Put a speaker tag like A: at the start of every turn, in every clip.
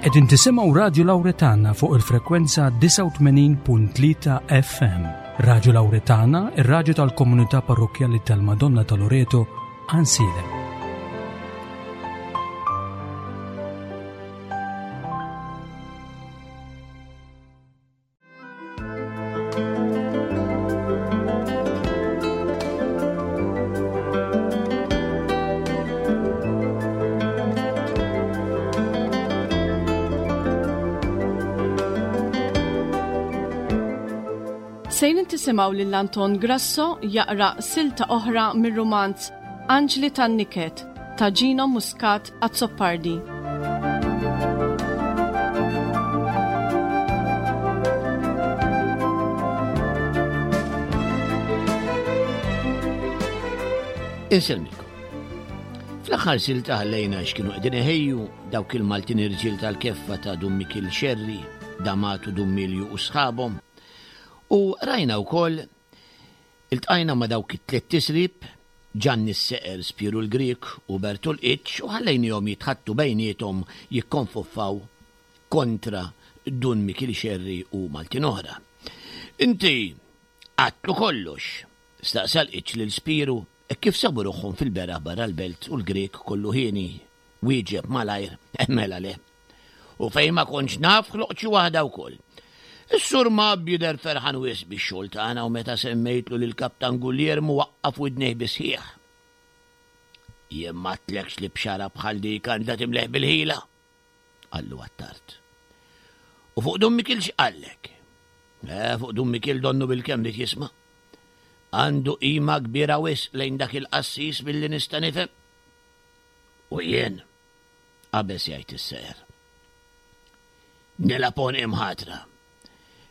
A: Qegħdin tisimgħu Radju Lawretana fuq il-frekwenza 89.3 FM. Radju Lawretana, ir-radju tal-komunità parrokkjali tal-Madonna ta' Loreto, Ansilem.
B: Sejrin tisimgħu lil Anton Grasso jaqra silta oħra mir-rumanz Anġli tan-Niket ta' Gino Muscat Azzopardi.
C: Insellmilkom. Fl-aħħar silta ħallejna x'kienu qegħdin iħejju dawk il-Maltin irġiel tal-keffa ta' Dun Mikil Xerri, Damatu Dun Milju u sħabhom. U rajna wkoll Iltqajna ma' dawk it-tliet tisrib, Ġanni s-Seqer, Spieru l-Grieg u Bertu l-Qiċċ u ħallejniehom jitħaddtu bejniethom jikkonfoffaw kontra Dun Mikiel Xerri u Maltin oħra. Inti għadtlu kollox? staqsa l-Qiċċ lil Spieru hekk kif sabu ruħhom fil-beraħ barra l-belt u l-Grieg kollu hieni wieġeb malajr, Mela le. U fejn ma kontx naf ħloqt xi waħda wkoll. Is-Sur Mab jidher ferħan wisq bix-xogħol tagħna u meta semmejtlu lil Kaptan Gulliermu waqqaf widnejh bis-sħiħ. Jien m'għedtlekx li bxara bħal dik għandha timleh bil-ħila? qallu Attard. U fuq Dun Mikiel x'qallek? Eh, fuq Dun Mikiel donnu bil-kemm ried jisma'. Għandu qima kbira wisq lejn dak il-qassis milli nista' nifhem. U jien, qabeż jgħid is-seher. Nilgħab għonqi mħatra.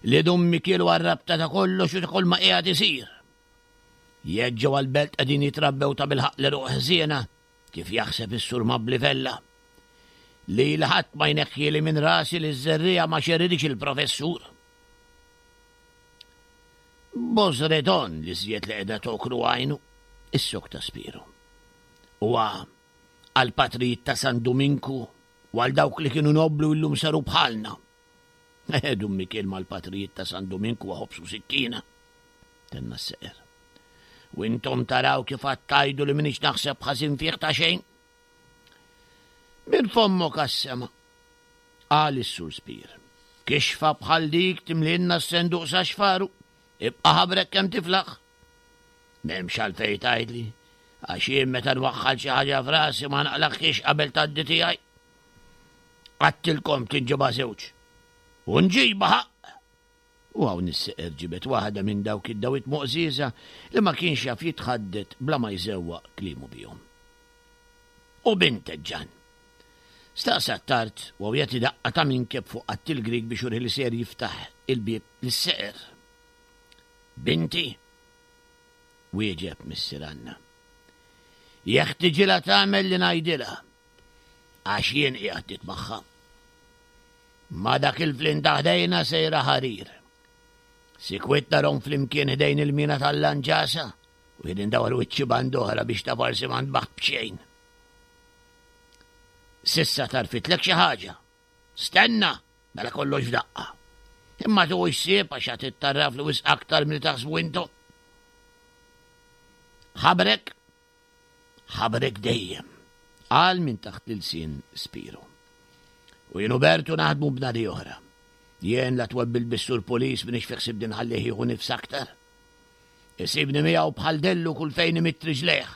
C: Li Dun Mikiel huwa r-rabta ta' kollox u ta' kull ma qiegħed isir. Jekk ġewwa l-belt qegħdin jitrabbew ta' bilħaqq l-għeruq ħżiena, kif jaħseb is-Sur Mabli Vella, lili ħadd ma jneħħieli minn rasi li ż-żerriegħa ma xerridhiex il-Professur. Bosredon li żjed li qiegħda tokru għajnu, issokta Spiru. Huwa għall-patrijiet ta' San Duminku u għal dawk li kienu nobbli u llum saru bħalna. Eh, Dun Mikiel mal-patrijiet ta' San Duminku huwa ħobż u sikkina, tenna s-seqer. U intom taraw kif għad tgħidu li m'iniex naħseb ħażin fih ta' xejn. Minn fommok għas-sema, qal is-Sur Spir. Kixfa bħal dik timlielna s-senduq sa xfaru, ibqa' ħabrek kemm tiflaħ. M'hemmx għalfejn tgħidli, għax jien meta nwaħħal xi ħaġa f'rasi ma naqlagħhiex qabel tgħaddi tiegħi. Għadtilkom tinġibha żewġ. U nġibha ħaqq! U hawn is-seqer ġibed waħda minn dawk id-dawit moqżieża li ma kienx jaf jitħaddet bla ma jżewwaq kliemu bihom. U bintek, Ġann? Staqsa Attard u jagħti daqqa ta' minkeb fuq qatt il-Grieg biex jurih li sejjer jiftaħ il-bieb lis-seqer. Binti? Wieġeb Missier Anna. Jeħtiġilha tagħmel li ngħidilha, għax jien qiegħed nitmagħha. Ma' dak il-flin ta' ħdejna sejra ħarir. Sikwit narhom flimkien ħdejn il-mina tal-lanġasa u jien indawar wiċċi band'oħra biex ta' forsi ma ntbaħt b'xejn. Sissa tarfitlek xi ħaġa. Stenna! Mela kollox f'daqqa. Imma tuħux ħsieb għax għad ittarrafli wisq aktar milli taħsbu intom. Ħabrek, ħabrek dejjem, qal minn taħt l-ilsien Spiru. U jien u Bertu naħdmu b'nadi oħra. Jien la twebbil bis-sur pulis minix fi ħsibni nħallih jieħu nifs aktar. Isibni miegħu bħal dellu kull fejn imidd riġlejh.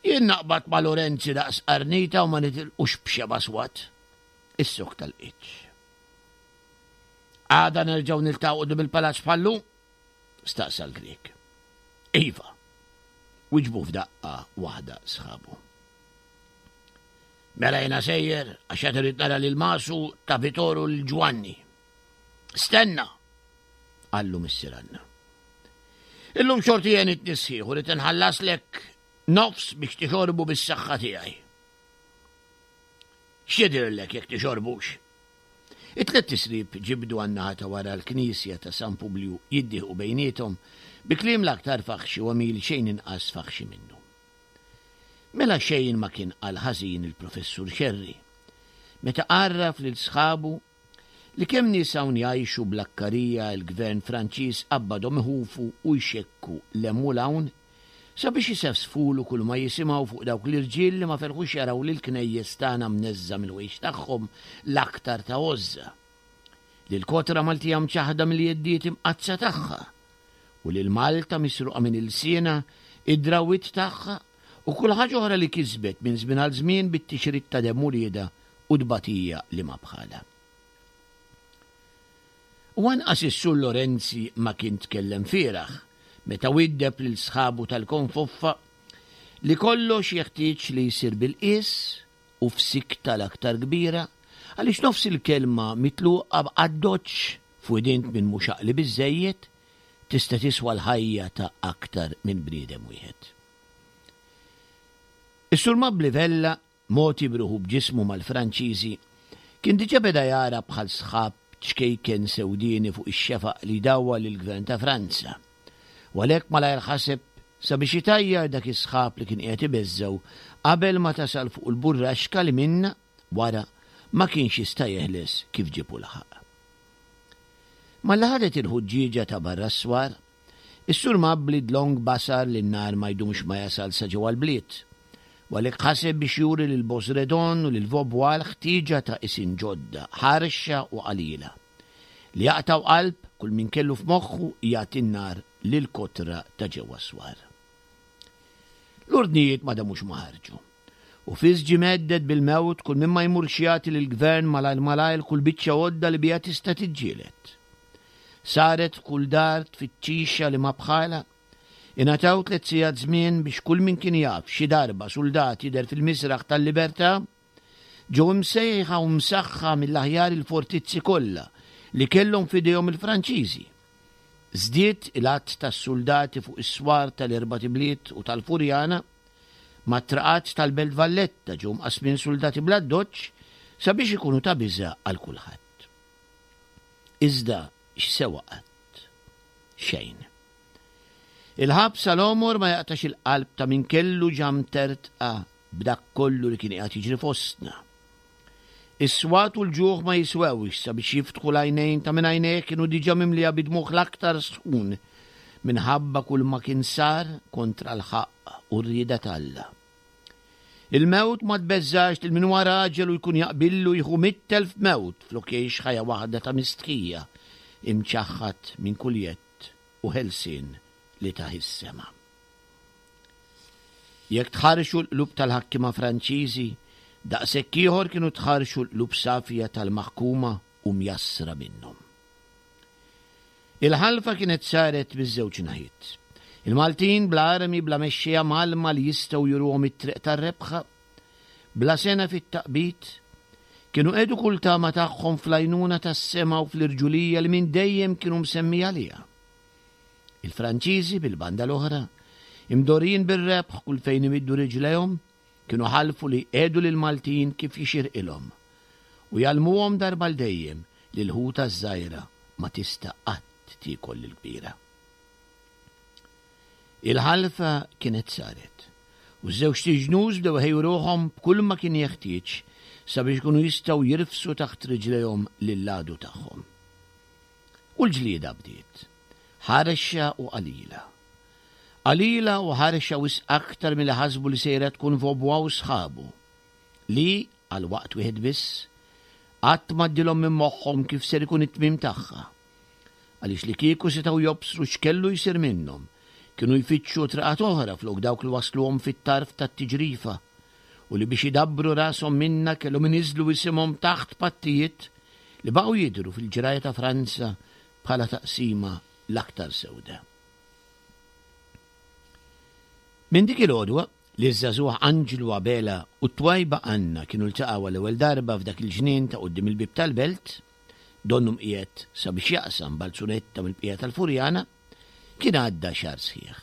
C: Jien naqbad ma' Lorenzi daqs qarnita u ma nitilqux b'xeba' swat. Is-sokk tal-qiċ. Għada nerġgħu niltaqgħu quddiem il-palazz bħal-lum? staqsa l-Grieg. Iva, wiġbu f'daqqa waħda sħabu. Mela jiena sejjer għax qed irid nara lil Masu ta' Vitoru lil Ġwanni. Stenna! qallu Missier Anna. Illum xorti jien it-nisħiħ u rrid inħallaslek nofs biex tixorbu bis-saħħa tiegħi. X'jidhirlek jekk tixorbux? It-tliet tisrib ġibdu għan-naħa ta' wara l-knisja ta' San Publju jiddieħqu bejniethom bi kliem l-aktar faħxi u għemil xejn inqas faħxi minnu. Mela xejn ma kien qal ħażin il-Professur Xerri. meta għarraf lil sħabu li kemm nies hawn jgħixu bl-akkarija l-gvern Franċiż qabbadhom iħufu u jxekku 'l hemm u 'l hawn sabiex isefsfulu kull ma jisimgħu fuq dawk l-irġiel li ma felħux jaraw lill-knejjes tagħna mneżża' mill-ħwejjeġ tagħhom l-aktar ta' għożża, lill-kotra Maltija mċaħħda mill-jeddiet imqaddsa tagħha u lil Malta misruqa minn ilsienha id-drawwiet tagħha u kull ħaġa oħra li kisbet minn żmien għal żmien bit-tixrid ta' demm uliedha u tbatija li ma bħalha. U anqas is-Sur Lorenzi ma kien tkellem fieragħ meta widdeb lil sħabu tal-Konfoffa li kollox jeħtieġ li jsir bil-qies u f'sikta l-aktar kbira għaliex nofs il-kelma mitluqa b'addoċċ f'widint min mhux għaqli biżżejjed tista' tiswa l-ħajja ta' aktar minn bniedem wieħed. Is-Sur Mabli Vella, mogħti b'ruħu b'ġismu mal-Franċiżi, kien diġà beda jara bħal sħab ċkejken sewdieni fuq ix-xefaq li jdawwar lill-Gvern ta' Franza, u għalhekk malajr ħaseb sabiex itajjar dak is-sħab li kien qiegħed ibeżżgħu qabel ma tasal fuq il-burraxka li minnha, wara, ma kienx jista' jeħles kif ġieb u laħaq. Malli ħadet il-ħuġġieġa ta' barra s-swar, is-Sur Mabli dlonk basar li n-nar ma jdumx ma jasal sa ġewwa l-bliet, u għalhekk ħaseb biex juri lil Bosredon u lil Vaubois l-ħtieġa ta' qisien ġodda, ħarxa u qalila, li jaqtgħu qalb kull min kellu f'moħħu jagħti n-nar lill-kotra ta' ġewwa s-swar. L-ordnijiet ma damux ma ħarġu. U fis ġie mhedded bil-mewt kull min ma jmurx jagħti lill-gvern malajr malajr kull biċċa għodda li biha tista' tiġġieled. Saret f'kull dar tfittxixa li ma bħalha. Ingħataw tlett sigħat żmien biex kull min kien jaf xi darba suldat jidher fil-misraħ tal-libertà, ġew imsejħa u msaħħa mill-aħjar il-fortizzi kollha li kellhom f'idejhom il-Franċiżi. Żdied il-għadd tas-suldati fuq is-swar tal-erbat ibliet u tal-Furjana, Mat-traqat tal-Belt Valletta ġew mqassmin suldati bl-addoċċ sabiex ikunu ta' biża' għal kulħadd. Iżda x'sewa qatt? Xejn. Il-ħabs għal għomor ma jaqtax il-qalb ta' min kellu ġa mtertqa b'dak kollu li kien qiegħed jiġri fostna. Is-swat u l-ġuħ ma jiswewx sabiex jiftħu l-għajnejn ta' min għajnejh kienu diġà mimlija bi dmugħ l-aktar sħun minħabba kull ma kien sar kontra l-ħaqq u r-rieda t'Alla. Il-mewt ma tbeżżax lil min huwa raġel u jkun jaqbillu jieħu 100,000 mewt flok jgħix ħajja waħda ta' mistħija, imċaħħad minn kull jedd u ħelsien li tah is-sema. Jekk tħarrxu l-qlub tal-ħakkiema Franċiżi, daqshekk ieħor kienu tħarrxu l-qlub safja tal-maħkuma u mjassra minnhom. Il-ħalfa kienet saret miż-żewġ naħiet. Il-Maltin bla armi, bla mexxejja mgħallma li jistgħu juruhom it-triq tar-rebħa, bla sengħa fit-taqbid, kienu qiegħdu kull tama tagħhom fl-għajnuna tas-sema u fl-irġulija li minn dejjem kienu msemmija għaliha. Il-Franċiżi, bil-banda l-oħra, imdorrijin bir-rebħ kull fejn imiddu riġlejhom, kienu ħalfu li jqiegħdu lill-Maltin kif jixirqilhom u jgħallmuhom darba għal dejjem li l-ħuta ż-żgħira ma tista' qatt tiekol lill-kbira. Il-ħalfa kienet saret, u ż-żewġt iġnus bdew iħejju ruħhom b'kull ma kien jeħtieġ sabiex ikunu jistgħu jirfsu taħt riġlejhom lill-għadu tagħhom. U l-ġlieda bdiet. Ħarxa u qalila. Qalila u ħarxa wisq aktar milli ħasbu li sejra tkun Vaubois u sħabu, li, għal waqt wieħed biss, qatt m'għaddilhom minn moħħhom kif ser ikun it-tmiem tagħha. Għaliex li kieku setgħu jobsru x'kellu jsir minnhom, kienu jfittxu triqat oħra flok dawk li wassluhom fit-tarf tat-tiġrifa u li biex idabbru rashom minnha kellhom iniżżlu isimhom taħt pattijiet li baqgħu jidhru fil-ġrajja ta' Franza bħala taqsima l-aktar sewda. Minn dik il-għodwa li ż-żagħżugħ Anġlu Abela u t-twajba Anna kienu ltaqgħu għall-ewwel darba f'dak il-ġnien ta' quddiem il-bieb tal-belt, donnu mqiegħed sabiex jaqsam balzunetta mill-bqija tal-Furjana, kien għadda xahar sħiħ.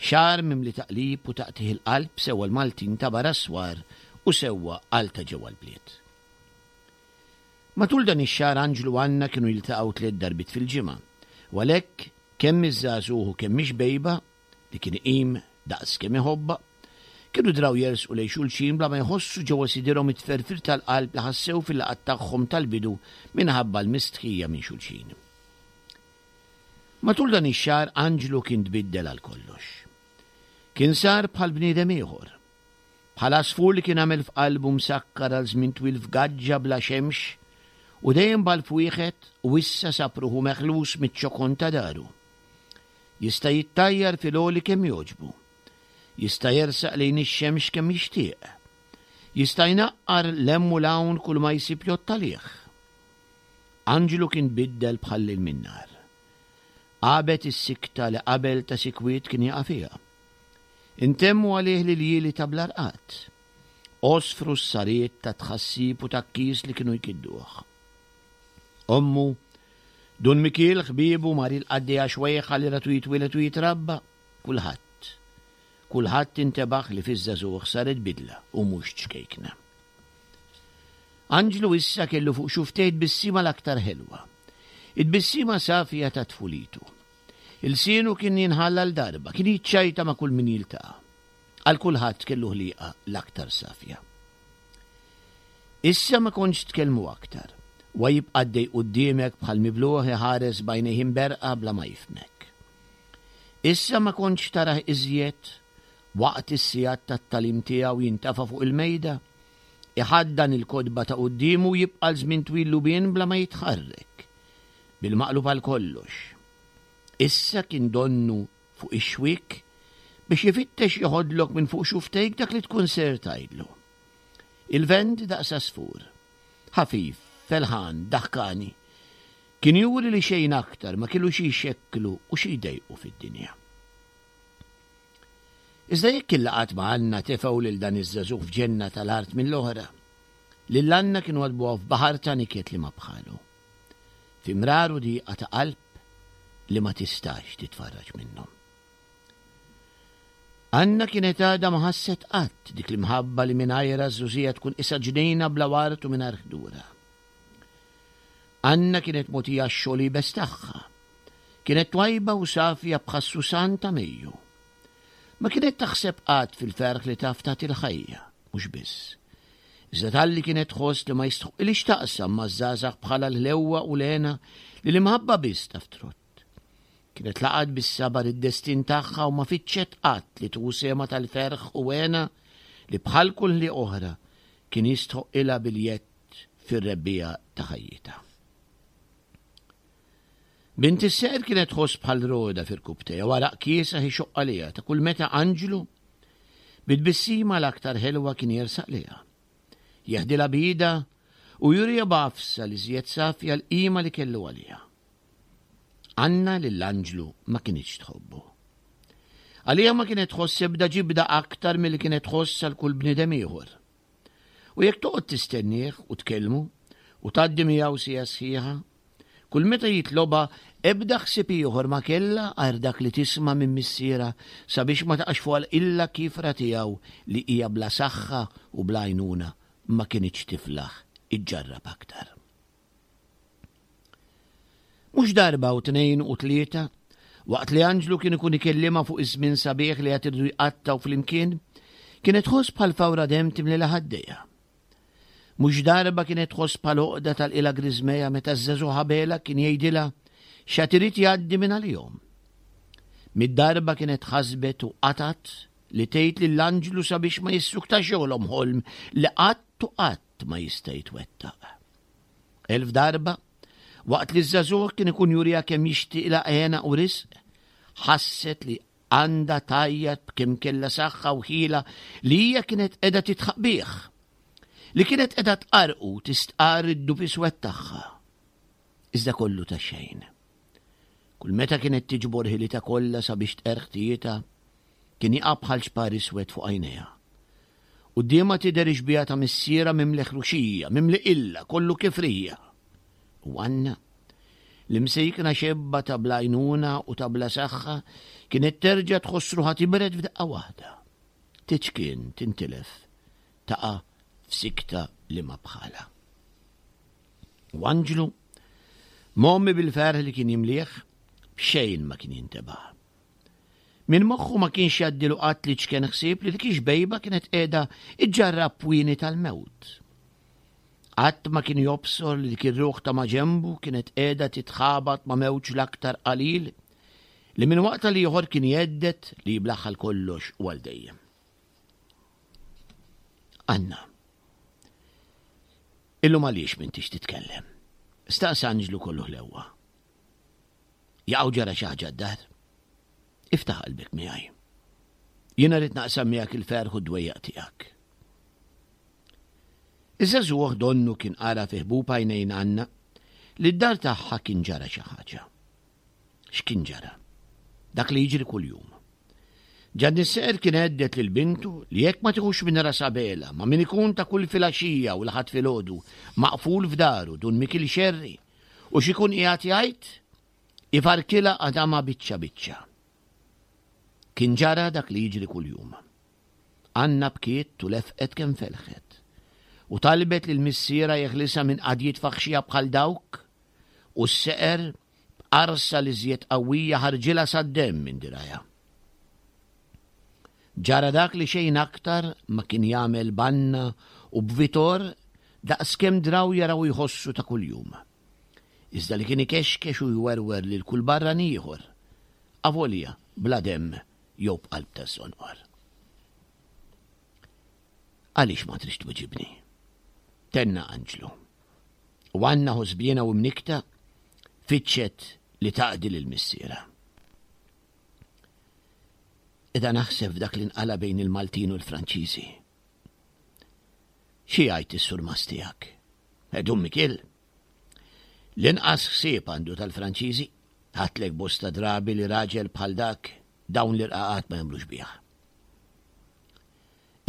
C: Xahar mimli taqlib u taqtigħ il-qalb sewwa l-Maltin ta' barra s-swar u sewwa għal ta' ġewwa l-bliet. Matul dan ix-xahar Anġlu u Anna kienu jiltaqgħu tliet darbiet fil-ġimgħa, u għalhekk kemm iż-żagħżugħ u kemm ix-xbejba, li kien iqim daqs kemm iħobbha, Kienu draw jersqu lejn xulxin bla ma jħossu ġewwa sidirhom it-tferfir tal-qalb li ħassew fil-laqgħat tagħhom tal-bidu minħabba l-mistħija minn xulxin. Matul dan ix-xahar Anġlu kien tbiddel għal kollox. Kien sar bħal bniedem ieħor. Bħal għasfur li kien għamel f'qalbu msakkar għal żmien twil f'gaġġa bla xemx u dejjem b'għalf wieħed u issa sab ruħu meħlus miċ-ċokon ta' daru. Jista' jittajjar fil-għoli kemm jogħġbu. Jista' jersaq lejn ix-xemx kemm jixtieq. Jista' jnaqqar 'l hemm u 'l hawn kull ma jsib jgħodd għalih. Anġlu kien tbiddel bħal lejl min-nhar. Għabet is-sikta li qabel ta' sikwit kien jaqa' fiha. Intemmu għalih l-iljieli ta' bla rqad. Għosfru s-sariet ta' tħassib u tgħakkis li kienu jkidduh. Ommu, Dun Mikiel, ħbiebu, Mari l-qaddejja xwejħa li ratu jitwieled u jitrabba, kulħadd. Kulħadd intebaħ li fiż-żagħżugħ saret bidla u mhux ċkejkna. Anġlu issa kellu fuq xufftejh tbissima l-aktar ħelwa. It-tbissima safja ta' tfulitu. Ilsienu kien jinħall għal darba, kien jiċċajta ma' kull min jiltaqa'. Għal kulħadd kellu ħliqa l-aktar safja. Issa ma kontx tkellmu aktar. Huwa jibqa' għaddej quddiemek bħal mibluh iħares b'għajnejh imberrqa bla ma jifhmek. Issa ma kontx tarah iżjed waqt is-sigħat tat-tagħlim tiegħu jintafa' fuq il-mejda, iħaddan il-kotba ta' quddiemu u jibqa' għal żmien twil lubien bla ma jitħarrek. Bil-maqlub għal kollox. Issa kien donnu fuq ix-xwiek biex ifittex jeħodlok minn fuq xufftejk dak li tkun ser tgħidlu. Il-vent daqs għasfur. Ħafif, felħan, daħkani. Kien juri li xejn aktar ma kellu xi jxekklu u xi jdejqu fid-dinja. Iżda jekk il-laqgħat ma' Anna tefgħu lil dan iż-żagħżugħ f'ġenna tal-art mill-oħra, lil Anna kienu għadbuha f'baħar ta' niket li ma bħalu. Fi mrar u diqa ta' qalb li ma tistax titfarraġ minnhom. Anna kienet għadha ma ħasset qatt dik l-imħabba li mingħajrha ż-żgħożija tkun qisha ġnejna bla ward u mingħajr ħdura. Anna kienet mogħtija x-xogħol iebes tagħha. Kienet twajba u safja bħas-susan ta' Mejju. Ma kienet taħseb qatt fil-ferħ li taf tagħti l-ħajja, mhux biss. Iżda talli kienet tħoss li ma jistħoqqilhiex taqsam maż-żgħażagħ bħalha l-ħlewwa u l-hena li l-imħabba biss taf trott. Kienet laqgħet bis-sabar id-destin tagħha u ma fittxet qatt li tieħu sehemha tal-ferħ u hena li bħal kull ħliq oħra kien jistħoqqilha biljett fir-rebbiegħa ta' ħajjitha. Bint is-seqer kienet tħoss bħal roda f'irkubtejha u għaraq kiesaħ ixoqq għaliha ta' kull meta anġlu bi tbissima l-aktar ħelwa kien jersaq lejha. Jeħdilha b'idha u juriha b'għafsa l-iżjed safja l-qima li kellu għaliha. Anna lill-anġlu ma kinitx tħobbu. Għaliha ma kienet tħoss ebda ġibda aktar milli kienet tħoss għal kull bniedem ieħor. U jekk toqgħod tistennieh u tkellmu u tgħaddi miegħu siegħa sħiħa, kull meta jitlobha ebda ħsieb ieħor ma kellha għajr dak li tisma' minn missierha sabiex ma taqax fuqha l-qilla kiefra tiegħu li hija bla saħħa u bla għajnuna ma kinitx tiflaħ iġġarrab aktar. Mhux darba u tnejn u tlieta, waqt li Anġlu kien ikun ikellimha fuq iż-żmien sabiħ li għad iridu jqattgħu flimkien, kienet tħoss bħal fawra demm timlilha ħaddejha. Mhux darba kienet tħoss bħal għoqda tal-qilha griżmejha meta ż-żagħżugħ Abela kien jgħidilha x'għad irid jgħaddi minn għalihom. Mid-darba kienet ħasbet u qatgħet li tgħid lil Anġlu sabiex ma jissuktax jogħlom ħolm li qatt u qatt ma jista' jitwettaq. Elf darba, waqt li ż-żagħżugħ kien ikun juriha kemm jixtieqilha hena u risq, ħasset li għandha tgħajjat b'kemm kellha saħħa u ħila li hija kienet qiegħda tidħaq bih, li kienet qiegħda tqarrqu u tistqarr id-dub iswed tagħha. Iżda kollu ta' xejn. Kull meta kienet tiġbor ħilitha kollha sabiex tqerr ħtijietha, kien jaqa' bħal ċpar iswed fuq għajnejha. Quddiemha tidher ix-xbieha ta' missierha mimli ħruxija, mimli qilla, kollu kifrija. U Anna, l-imsejkna xebba ta' bla għajnuna u ta' bla saħħa, kienet terġa' tħoss ruħha tibred f'daqqa waħda. Tiċkien, tintilef, taqa' f'sikta li ma bħalha. U Anġlu, mgħommi bil-ferħ li kien jimlieh, b'xejn ma kien jintebaħ. Minn moħħu ma kienx jgħaddilu qatt l-iċken ħsieb li dik ix-xbejba kienet qiegħda iġġarrab pwieni tal-mewt. Qatt ma kien jobsor li dik ir-ruħ ta' maġenbu kienet qiegħda titħabat ma' mewġ l-aktar qalil li minn waqt għal ieħor kien jhedded li jiblaħ għal kollox u għal dejjem. Anna. Illum għaliex m'intix titkellem? Staqsa Anġlu kollu ħlewwa. Jaqgħu ġara xi ħaġa d-dar? Iftaħ qalbek miegħi. Jiena rrid naqsam miegħek il-ferħ u d-dwejjaq tiegħek. Iż-żagħżugħ donnu kien qara fi ħbub għajnejn Anna li d-dar tagħha kien ġara xi ħaġa. X'kien ġara? Dak li jiġri kuljum. Ġanni Seqer kien għeddet lil bintu li jekk ma tiħux minn ras Abela ma' min ikun ta' kull filgħaxija u l-Ħadd filgħodu maqful f'daru Dun Mikiel Xerri u x'ikun qiegħed jgħid, ifarkilha għadamha biċċa biċċa. Kien ġara dak li jiġri kuljum. Anna bkiet u lefqet kemm felħet. U talbet lil missierha jeħlisha minn qadjiet faħxija bħal dawk, u s-seqer b'qarsa l-iżjed qawwija ħarġilha sad-demm minn dirgħajha. Ġara dak li xejn aktar ma kien jagħmel b'Anna u b'Vitor daqskemm draw jaraw u jħossu ta' kuljum. Iżda li kien ikexkex u jwerwer lil kull barrani ieħor, avolja bla demm jew b'qalb taż-żonqor. Għaliex ma tridx twiġibni? Tenna Anġlu. U Anna ħosbiena u mnikkta fittxet li taqdi lil missierha. Qiegħda naħseb f'dak li nqala' bejn il-Maltin u l-Franċiżi. Xi jgħid is-surmast tiegħek? Eh, Dun Mikiel? L-inqas ħsieb għandu tal-Franċiżi. Ħadtlek bosta drabi li raġel bħal dak dawn l-irqaqat ma jagħmlux bih.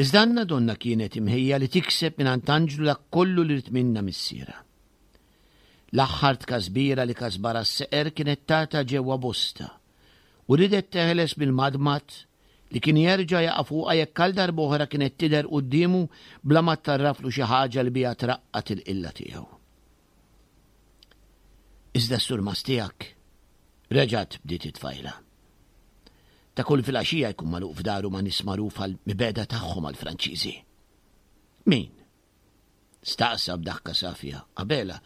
C: Iżda Anna donnha kienet imħejja li tikseb mingħand Anġlu dak kollu li ried minnha missierha. L-aħħar tkasbira li kasbarha s-seqer kienet tagħta ġewwa bosta u riedet teħles mill-madmad li kien jerġa' jaqa' fuqha jekk għal darb'oħra kienet tidher quddiemu bla ma ttarraflu xi ħaġa li biha traqqad il-qilla tiegħu. Iżda s-surmast tiegħek, reġgħet bdiet it-tfajla. Ta' kull filgħaxija jkun magħluq f'daru ma' nies magħruf għall-mibegħda tagħhom għall-Franċiżi. Min? Staqsa b'daħka safja Abela,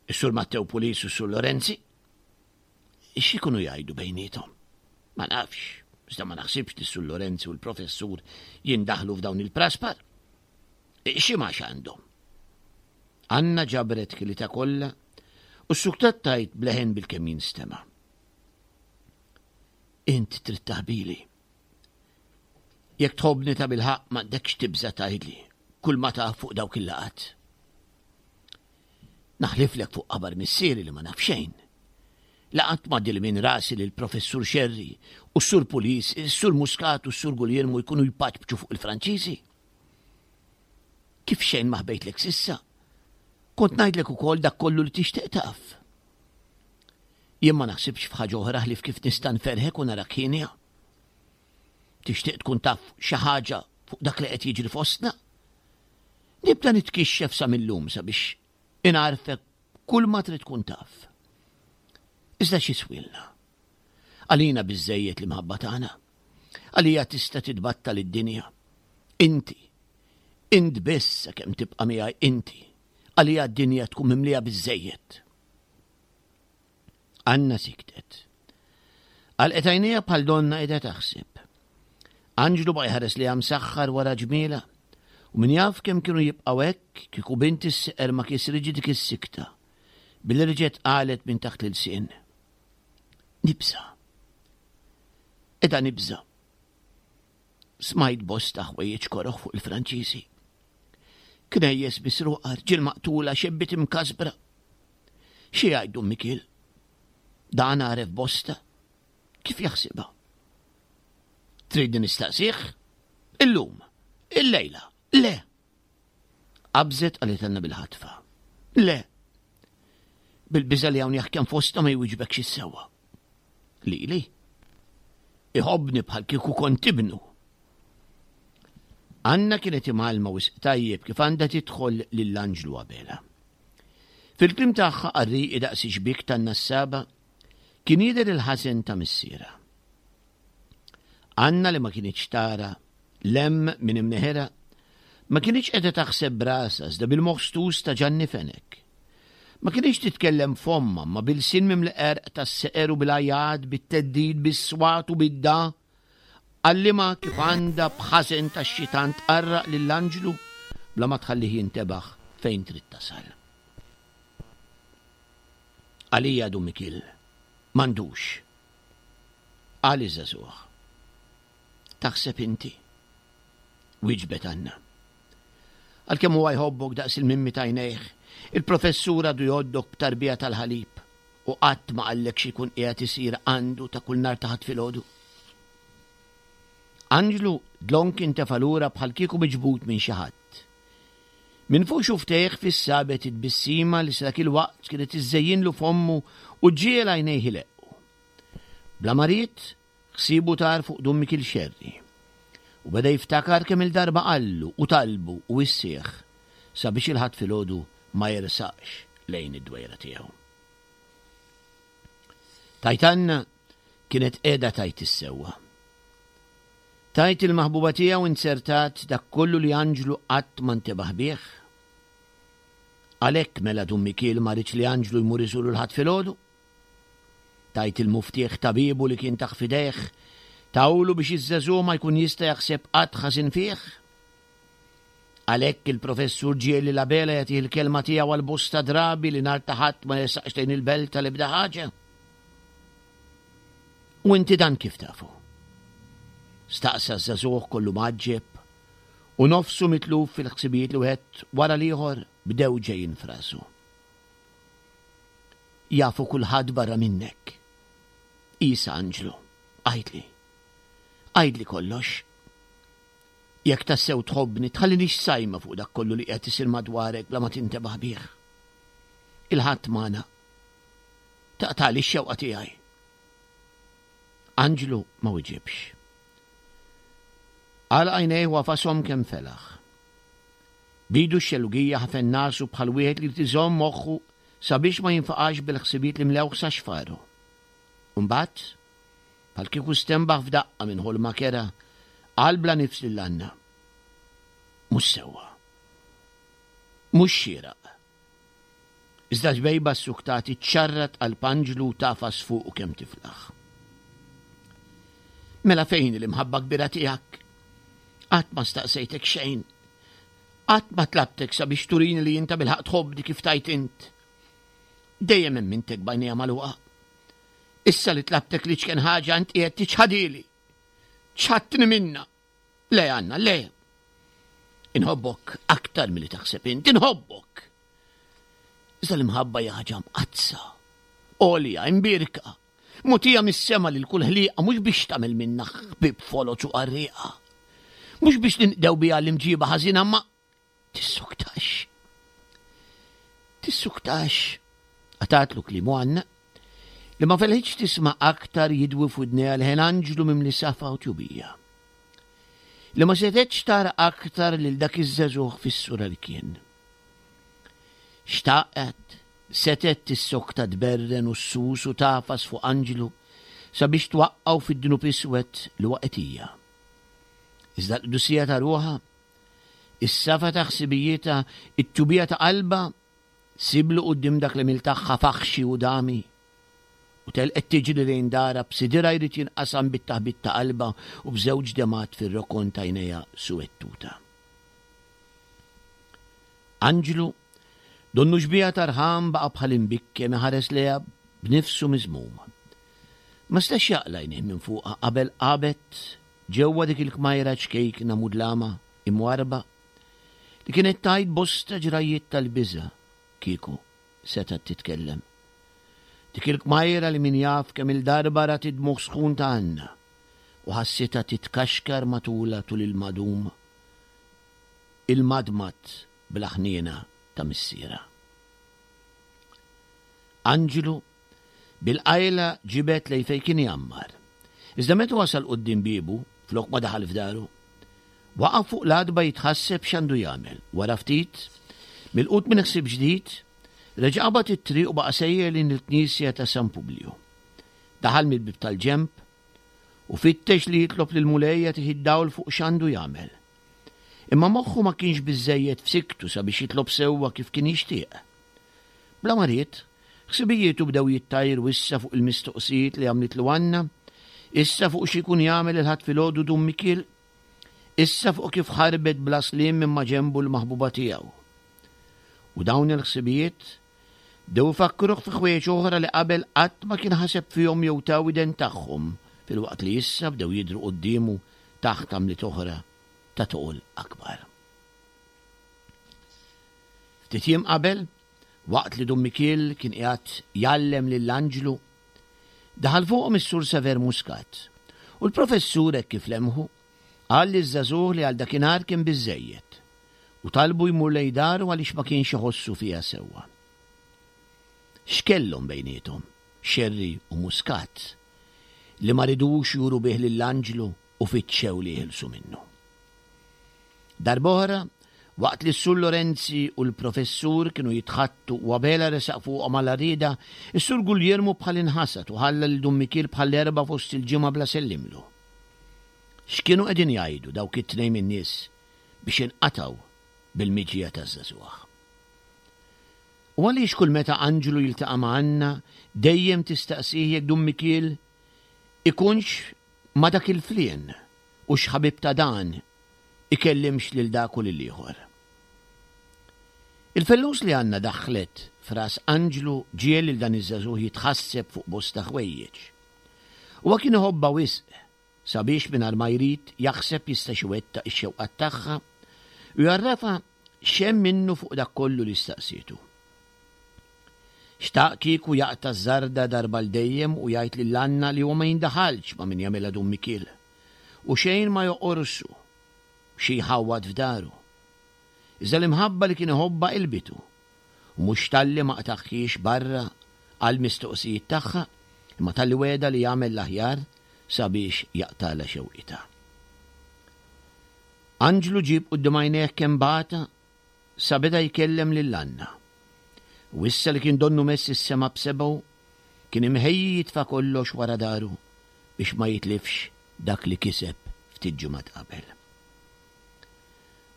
C: is-Sur Mattew Pulis u s-Sur Lorenzi. X'ikunu jgħidu bejniethom? Ma nafx, iżda ma naħsibx li s-Sur Lorenzi u l-Professur jindaħlu f'dawn il-praspar. Xi ma għandhom? Anna ġabret kilitha kollha u ssuktat tgħid b'leħen bilkemm jinstema'. Int trid taħbili. Jekk tħobbni ta' bilħaqq m'għandekx tibża' tgħidli kull ma taf fuq dawk il-laqgħat. Naħliflek fuq qabar missieri li ma naf xejn. La qatt m'għaddili minn rasi li l-Professur Xerri u s-Sur Pulis, is-Sur Muscat u s-Sur Guglielmo jkunu jpaċpċu fuq il-Franċiżi. Kif xejn ma ħbejtlek s'issa, kont ngħidlek ukoll dak kollu li tixtieq taf. Jien ma naħsibx f'ħaġa oħra ħlief kif nista' nferħek u narak hienja. Tixtieq tkun taf xi ħaġa fuq dak li qed jiġri fostna? Nibda nitkixxef sa mil-lum sabiex ingħarfek kull ma trid tkun taf. Iżda xi swilna? Għalina biżżejjed l-imħabba tagħna. Għalija tista' titbattal id-dinja. Inti, int biss sakemm tibqa' miegħi inti, għalija d-dinja tkun mimlija biżżejjed. Anna siktet. Għalqet għajnejha bħal donna qiegħda taħseb. Anġlu baqa' jħares lejha msaħħar wara ġmielha, u min jaf kemm kienu jibqgħu hekk kieku bint is-seqer ma kisritx dik is-sikta, billi reġgħet qalet minn taħt l-ilsien. Nibża'. Qiegħda nibża'. Smajt bosta ħwejjeġ koroh fuq il-Franċiżi. Knejjes misruqa, rġiel maqtula, xebbiet imkasbra. Xi jgħid Dun Mikiel? Dan għaref bosta. Kif jaħsibha? Tridni nistaqsih? Illum, illejla, le! Qabżet qalithilna bil-ħatfa. Le! Bil-biża' li hawn jaħkem fostna ma jwiġbekx is-sewwa. Lili? Iħobbni bħal kieku kont ibnu. Anna kienet imgħallma wisq tajjeb kif għandha tidħol lil Anġlu Abela. Fil-kliem tagħha qarrieqi daqs ix-xbiek tan-nassaba kien jidher il-ħażen ta' missierha. Anna li ma kinitx tara 'l hemm minn imneħirha, ma kinitx qiegħda taħseb b'rasha iżda bil-moħħ stus ta' Ġanni Fenech. Ma kinitx titkellem b'fommha imma b'ilsien mimli qerq tas-seqer u bil-għajat, bit-theddid, bis-swat u bid-dagħa. Għallimha kif għandha b'ħażen tax-xitan tqarraq lil Anġlu bla ma tħallih jintebaħ fejn trid tasal. Għalija Dun Mikiel m'għandux. Qal iż-żagħżugħ. Taħseb inti? Wieġbet Anna. Għalkemm huwa jħobbok daqs il-mimmi t'għajnejh, il-professur għadu jgħoddok b'tarbija tal-ħalib u qatt ma qallek xi jkun qiegħed isir għandu ta' kull nhar ta' Ħadd filgħodu. Anġlu dlonk intefa' lura bħal kieku miġbud minn xi ħadd. Minn fuq xufftejh fis-sabet it-tbissima li sa dak il-waqt kienet iżżejjinlu fommu u ġġiegħel għajnejh ileqqu. Bla ma ried, ħsiebu tar fuq Dun Mikiel Xerri u beda jiftakar kemm-il darba qallu u talbu u wissieh sabiex il-Ħadd filgħodu ma jersaqx lejn id-dwejra tiegħu. Tgħid Anna kienet qiegħda tgħid is-sewwa. Tgħid il-maħbuba tiegħu inzertat dak kollu li Anġlu qatt ma ntebaħ bih? Għalhekk mela Dun Mikiel ma riedx li Anġlu jmur iżuru l-Ħadd filgħodu? Tgħid il-muftieħ ta' biebu li kien tah f'idejh, tahulu biex iż-żagħżugħ ma jkun jista' jaħseb qatt ħażin fih? Għalhekk il-Professur ġiegħel lil Abela jagħtih il-kelma tiegħu għal bosta drabi li nhar ta' Ħadd ma jersaqx lejn il-belt għal ebda ħaġa. U inti dan kif tafu? Staqsa ż-żagħżugħ kollu mgħaġġeb u nofsu mitluf fil-ħsibijiet li wieħed wara l-ieħor bdew ġejjin f'rasu. Jafu kulħadd barra minnek. Isa Anġlu, għidli. Għidli kollox. Jekk tassew tħobbni, tħallinix sajma fuq dak kollu li qiegħed isir madwarek bla ma tintebaħ bih. Il-Ħadd magħna. Taqtagħli x-xewqa tiegħi. Anġlu ma wiġibx. Għalaq għajnejh u għafashom kemm felaħ. B'idu x-xellugija ħafen nasu bħal wieħed li jrid iżomm moħħu sabiex ma jinfaqax bil-ħsibijiet li mlewh sa xfaru. U mbagħad, bħal kieku stenbaħ f'daqqa minn ħolma kerha, qal bla nifs lil Anna, Mhux sewwa. Mhux xieraq. Iżda ġbejba ssuktat iċċarrat qalb Anġlu u tagħfas fuqu kemm tiflaħ. Mela fejn hi l-imħabba kbira tiegħek? Qatt ma staqsejtek xejn. Qatt ma tlabtek sabiex turini li int tabilħaqq tħobbni kif tgħid int. Dejjem emmintek b'għajnejja magħluqa. Issa li tlabtek l-iċken ħaġa int qiegħed tiċħadili. Ċħadtni minnha. Le Anna, le. Inħobbok aktar milli taħseb int, inħobbok. Iżda l-imħabba hija ħaġa mqaddsa, għolja, imbierka, mutija mis-sema lil kull ħliqa mhux biex tagħmel minna ħbieb foloz u qarrieqa. Mhux biex ninqdew biha l-imġiba ħażina ma Tissuktax. Tissuktax. Qatgħatlu kliemu Anna, li ma felħitx tisma' aktar jidwi f'widnejha leħen anġlu mimli safa u tjubija. Li ma setgħetx tara aktar lil dak iż-żagħżugħ fis-sura li kien. Xtaqet, setgħet tissokta tberren u ssus u tagħfas fuq anġlu sabiex twaqqgħu fid-dnub iswed li waqgħet hija. Iżda l-qdusija ta' ruħha Is-safa ta' ħsibijietha, it-tjubija ta' qalbha, siblu quddiem dak l-għemil tagħha faħxi u dami. U telqet tiġri lejn darha b'sidirha jrid jinqasam bit-taħbit ta' qalbha u b'żewġ demgħat fir-rokon t'għajnejha suwettuta. Anġlu, donnu xbieha ta' rħam baqa' bħal imbikkem iħares lejha b'nifsu miżmum. Ma setax jaqla' għajnejh minn fuqha qabel qabet Ġewwa dik il-kmajra ċkejkna mudlama, imwarrba, li kienet tgħid bosta ġrajjiet tal-biża' kieku setgħet titkellem. Dik il-kmajra li min jaf kemm-il darba rat id-dmugħ sħun ta' Anna u ħassitha titkaxkar matulha tul il-madum, il-madmad bla ħniena ta' missierha. Anġlu Bil-qajla ġibed lejn fejn kien jgħammar. Iżda meta wasal quddiem biebu, flok ma daħal f'daru, waqaf fuq l-għatba jitħasseb x'għandu jagħmel. Wara ftit, milqut minn ħsieb ġdid, reġa' qabad it-triq u baqa' sejjer lejn il-knisja ta' San Publiju. Daħal mill-bieb tal-ġenb. U fittex li jitlob lill-Mulej jagħtih id-dawl fuq x'għandu jagħmel. Imma moħħu ma kienx biżżejjed f'siktu sabiex jitlob sewwa kif kien jixtieq. Bla ma ried, ħsibijietu bdew jittajru issa fuq il-mistoqsijiet li għamlitlu Anna, issa fuq xi jkun jagħmel il-Ħadd filgħodu Dun Mikiel, issa fuq kif ħarbet bla sliem minn maġenbu l-maħbuba tiegħu. U dawn il-ħsibijiet bdew ifakkruh fi ħwejjeġ oħra li qabel qatt ma kien ħaseb fihom jew ta widen tagħhom filwaqt li issa bdew jidhru quddiemu taħt għamliet oħra ta' toqol akbar. Ftit jiem qabel, waqt li Dun Mikiel kien qiegħed jgħallem lil Anġlu, daħal fuqhom is-Sur Sever Muscat u l-Professur hekk kif lemħu, qal liż-żagħżugħ li għal dakinhar kien biżżejjed u talbu jmur lejn daru għaliex ma kienx iħossu fiha sewwa. X'kellhom bejniethom, Scerri u Muscat, li ma ridux juru bih lil Anġlu u fittxew li jeħilsu minnu? Darb'oħra, waqt li s-Sur Lorenzi u l-Professur kienu jitħaddtu u Abela resaq fuqhom għal għarrieda, is-Sur Guglielmu bħal inħasad u ħalla lil Dun Mikiel bħall-Erbgħa fost il-ġimgħa bla sellimlu. X'kienu qegħdin jgħidu dawk it-tnejn min-nies biex inqatgħu bil-miġja taż-żagħżugħ? U għaliex kull meta Anġlu jiltaqa' ma' Anna dejjem tistaqsih jekk Dun Mikiel ikunx ma' dak il-flien u x'ħabib ta' dan ikellimx lil dak u lill-ieħor? Il-fellus li Anna daħħlet f'ras Anġlu ġiegħel lil dan iż-żagħżugħ jitħasseb fuq bosta ħwejjeġ. Huwa kien iħobbha wisq sabiex mingħajr ma jrid jaħseb jistax iwettaq ix-xewqat tagħha u jgħarrafha x'hemm minnu fuq dak kollu li staqsietu. Xtaq kieku jaqta' ż-żarda darba għal dejjem u jgħid lil Anna li huwa ma jindaħalx ma' min jagħmilha Dun Mikiel u xejn ma joqorsu xi jħawwad f'daru. Iżda l-imħabba li kien iħobbha qilbitu u mhux talli ma qtagħhiex barra għall-mistoqsijiet tagħha imma talli wegħda li jagħmel l-aħjar sabiex jaqtagħlha xewqitha. Anġlu ġieb quddiem għajnejh kemm bata sa beda jkellem lil Anna. U issa li kien donnu mess is-sema b'sebgħu, kien imħejji jitfa' kollox wara daru biex ma jitlifx dak li kiseb ftit ġimgħat qabel.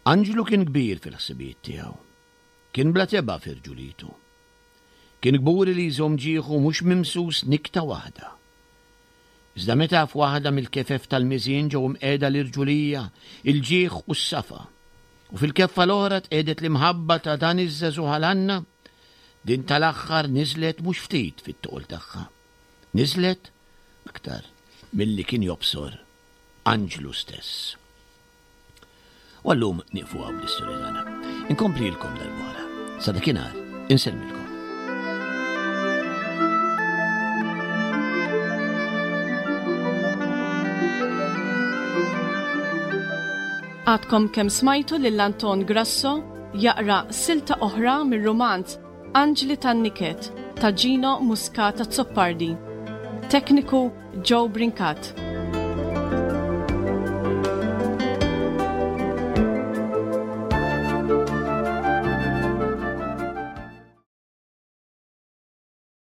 C: Anġlu kien kbir fil-ħsibijiet tiegħu. Kien bla tebgħa fi rġulitu. Kien kburi li jżomm ġieħu mhux mimsus nikta waħda. Iżda meta f'waħda mill-kefef tal-miżien ġew imqiegħda l-irġulija, il-ġieħ u s-safa, u fil-keffa l-oħra tqiegħdet l-imħabba ta' dan iż-żagħżugħ għal Anna, din tal-aħħar niżlet mhux ftit fit-toqol tagħha. Niżlet aktar milli kien jobsor anġlu stess. U għallum nieqfu hawn bl-istorja tagħna. Inkomplilkom darb'oħra. Sa dakinhar, insellmilkom.
B: Għadkom kemm smajtu lil Anton Grasso jaqra silta oħra mir-rumanz Anġli tan-Niket ta' Gino Muscat Azzopardi. Tekniku Joe Brincat.